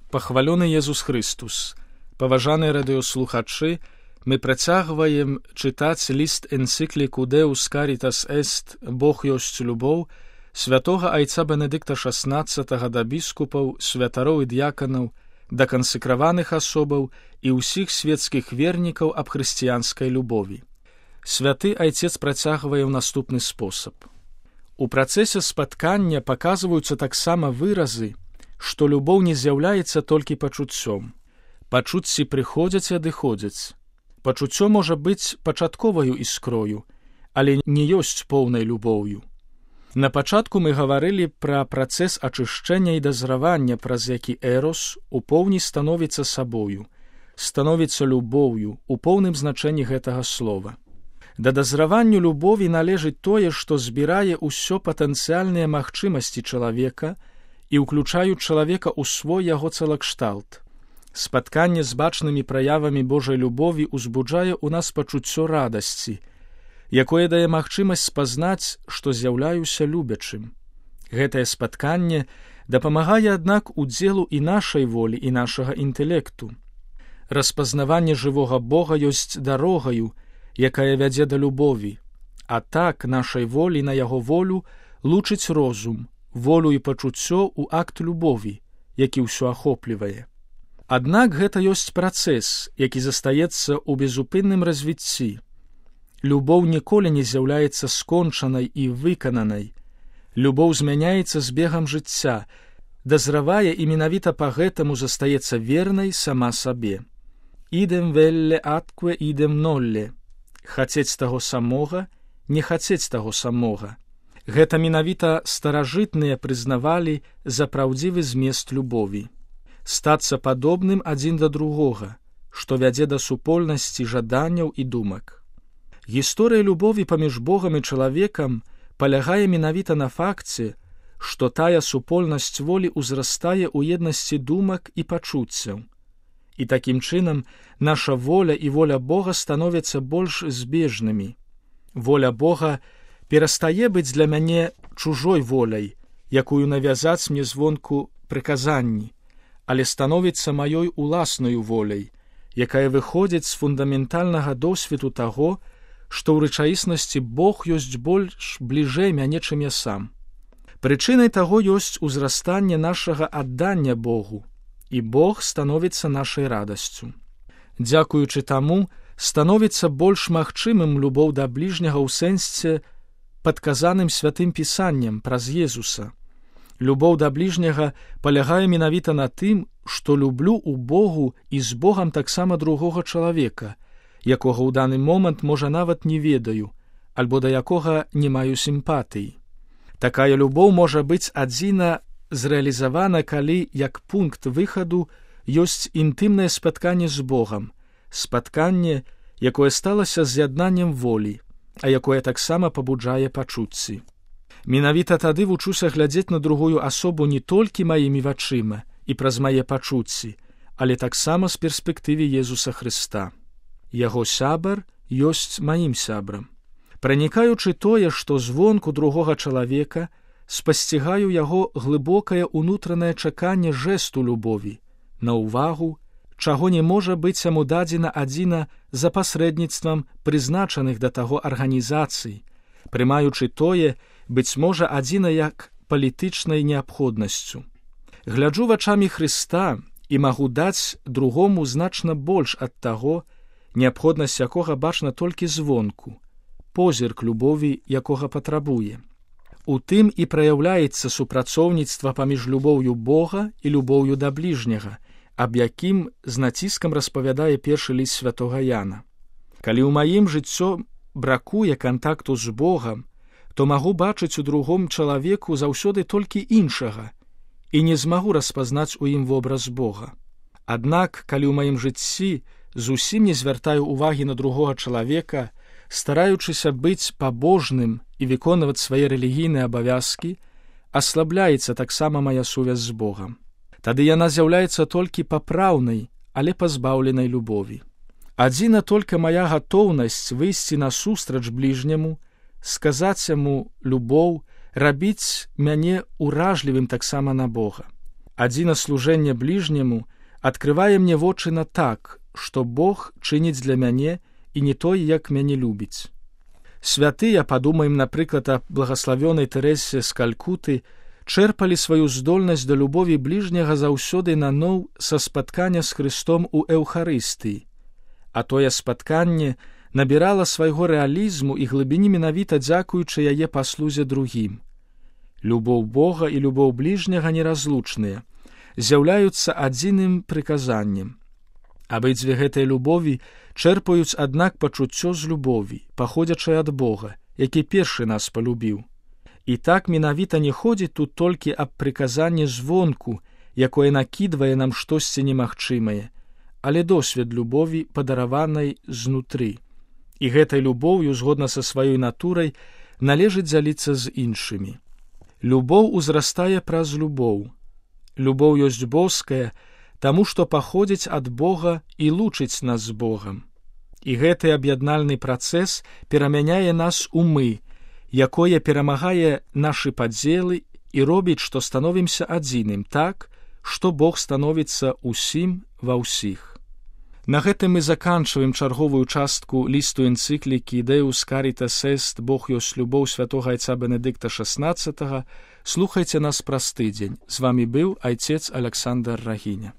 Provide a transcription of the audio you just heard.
Пахвалёны Езус Христус. Паважаныя радыёслухачы, мы працягваем чытаць ліст энцыкліку Deus Caritas Est, Бог ёсць любоў, святога айца Бенедыкта XVI да біскупаў, святароў і д'яканаў, да кансекраваных асобаў і ўсіх светскіх вернікаў аб хрысціянскай любові. Святы айцец працягвае ў наступны спосаб. У працэсе спаткання паказваюцца таксама выразы, што любоў не з'яўляецца толькі пачуццём. Пачуцці прыходзяць і адыходзяць. Пачуццё можа быць пачатковаю іскрою, але не ёсць поўнай любоўю. На пачатку мы гаварылі пра працэс ачышчэння і дазравання, праз які эрос у поўні становіцца сабою, становіцца любоўю у поўным значэнні гэтага слова. Да дазраванню любові належыць тое, што збірае ўсё патэнцыяльныя магчымасці чалавека і ўключаюць чалавека ў свой яго цэлакшталт. Спатканне з бачнымі праявамі Божай любові ўзбуджае ў нас пачуццё радасці, якое дае магчымасць спазнаць, што з'яўляюся любячым. Гэтае спатканне дапамагае, аднак, удзелу і нашай волі, і нашага інтэлекту. Распазнаванне жывога Бога ёсць дарогаю, якая вядзе да любові, а так нашай волі на яго волю лучыць розум, волю і пачуццё ў акт любові, які ўсё ахоплівае. Аднак гэта ёсць працэс, які застаецца ў безупынным развіцці. Любоў ніколі не з'яўляецца скончанай і выкананай. Любоў змяняецца з бегам жыцця, дазравае і менавіта па гэтаму застаецца вернай сама сабе. Ідем велле аткве ідем нолле. Хацець таго самога, не хацець таго самога. Гэта менавіта старажытныя прызнавалі за праўдзівы змест любові. Стацца падобным адзін да другога, што вядзе да супольнасці жаданняў і думак. Гісторыя любові паміж Богам і чалавекам палягае менавіта на факце, што тая супольнасць волі ўзрастае ў еднасці думак і пачуццяў. І такім чынам наша воля і воля Бога становяцца больш збежнымі. Воля Бога перастае быць для мяне чужой воляй, якую навязаць мне звонку прыказанні, але становіцца маёй уласнаю воляй, якая выходзіць з фундаментальнага досведу таго, што ў рэчаіснасці Бог ёсць больш бліжэй мяне, чым я сам. Прычынай таго ёсць узрастанне нашага аддання Богу, і Бог становіцца нашай радасцю. Дзякуючы таму, становіцца больш магчымым любоў да бліжняга ў сэнсе падказаным святым пісаннем праз Езуса. Любоў да бліжняга палягае менавіта на тым, што люблю ў Богу і з Богам таксама другога чалавека, якога ў даны момант, можа, нават не ведаю, альбо да якога не маю сімпатыі. Такая любоў можа быць адзіна зрэалізавана, калі, як пункт выхаду, ёсць інтымнае спатканне з Богам, спатканне, якое сталася з'яднаннем волі, а якое таксама пабуджае пачуцці. Менавіта тады вучуся глядзець на другую асобу не толькі маімі вачыма і праз мае пачуцці, але таксама з перспектывы Езуса Хрыста. Яго сябар ёсць маім сябрам. Пранікаючы тое, што звонку другога чалавека, спасцігаю яго глыбокае ўнутранае чаканне жэсту любові, на ўвагу, чаго не можа быць яму дадзена адзіна за пасрэдніцтвам прызначаных да таго арганізацый, прымаючы тое, быць можа, адзіна як палітычнай неабходнасцю. Гляджу вачамі Хрыста і магу даць другому значна больш ад таго, неабходнасць якога бачна толькі звонку, позірк любові, якога патрабуе. У тым і праяўляецца супрацоўніцтва паміж любоўю Бога і любоўю да бліжняга, аб якім з націскам распавядае першы ліст святога Яна. Калі ў маім жыццё бракуе кантакту з Богам, то магу бачыць у другом чалавеку заўсёды толькі іншага і не змагу распазнаць у ім вобраз Бога. Аднак, калі ў маім жыцці зусім не звяртаю ўвагі на другога чалавека, стараючыся быць пабожным і выконваць свае рэлігійныя абавязкі, аслабляецца таксама мая сувязь з Богам. Тады яна з'яўляецца толькі папраўнай, але пазбаўленай любові. Адзіна толькі мая гатоўнасць выйсці насустрач бліжняму, сказаць яму любоў, рабіць мяне ўражлівым таксама на Бога. Адзінаслужэнне бліжняму адкрывае мне вочы на так, што Бог чыніць для мяне і не той, як мяне любіць. Святыя, падумаем, напрыклад, аб благаславёнай Тэрэсе з Калькуты, чэрпалі сваю здольнасць да любові бліжняга заўсёды наноў са спаткання з Хрыстом у Эўхарыстыі, а тое спатканне набірала свайго рэалізму і глыбіні менавіта дзякуючы яе паслузе другім. Любоў Бога і любоў бліжняга неразлучныя, з'яўляюцца адзіным прыказаннем. Абедзве гэтыя любові чэрпаюць, аднак, пачуццё з любові, паходзячай ад Бога, які першы нас палюбіў. І так менавіта не ходзіць тут толькі аб прыказанні звонку, якое накідвае нам штосьці немагчымае, але досвед любові, падараванай знутры. І гэтай любоўю, згодна са сваёй натурай, належыць дзяліцца з іншымі. Любоў узрастае праз любоў. Любоў ёсць боская, таму што паходзіць ад Бога і лучыць нас з Богам. І гэты аб'яднальны працэс перамяняе нас у мы, якое перамагае нашы падзелы і робіць, што становімся адзіным так, што Бог становіцца ўсім ва ўсіх. На гэтым мы заканчваем чарговую частку лісту энцыклікі «Deus Caritas Est, Бог ёсць любоў» святога айца Бенедыкта XVI. Слухайце нас праз тыдзень. З вамі быў айцец Аляксандр Рагіня.